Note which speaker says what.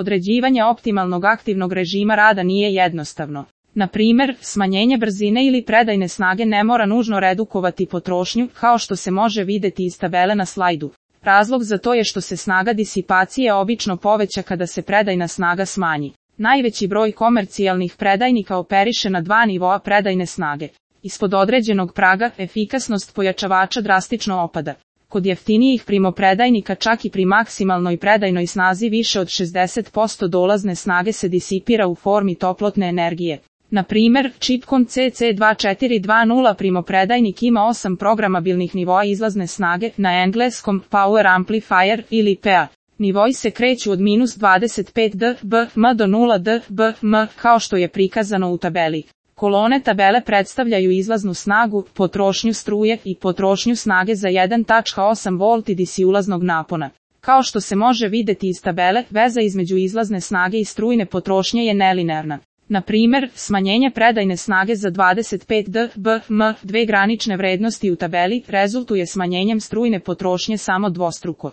Speaker 1: Određivanje optimalnog aktivnog režima rada nije jednostavno. Na primjer, smanjenje brzine ili predajne snage ne mora nužno redukovati potrošnju, kao što se može vidjeti iz tabele na slajdu. Razlog za to je što se snaga disipacije obično poveća kada se predajna snaga smanji. Najveći broj komercijalnih predajnika operiše na 2 nivoa predajne snage. Ispod određenog praga, efikasnost pojačavača drastično opada. Kod jeftinijih primopredajnika čak i pri maksimalnoj predajnoj snazi više od 60% dolazne snage se disipira u formi toplotne energije. Na primjer, Chipcon CC2420 primopredajnik ima 8 programabilnih nivoa izlazne snage, na engleskom Power Amplifier ili PA. Nivoi se kreću od -25 dBm do 0 dBm, kao što je prikazano u tabeli. Kolone tabele predstavljaju izlaznu snagu, potrošnju struje i potrošnju snage za 1.8 V DC ulaznog napona. Kao što se može vidjeti iz tabele, veza između izlazne snage i strujne potrošnje je nelinearna. Na primjer, smanjenje predajne snage za 25 dBm, dve granične vrednosti u tabeli, rezultuje smanjenjem strujne potrošnje samo dvostruko.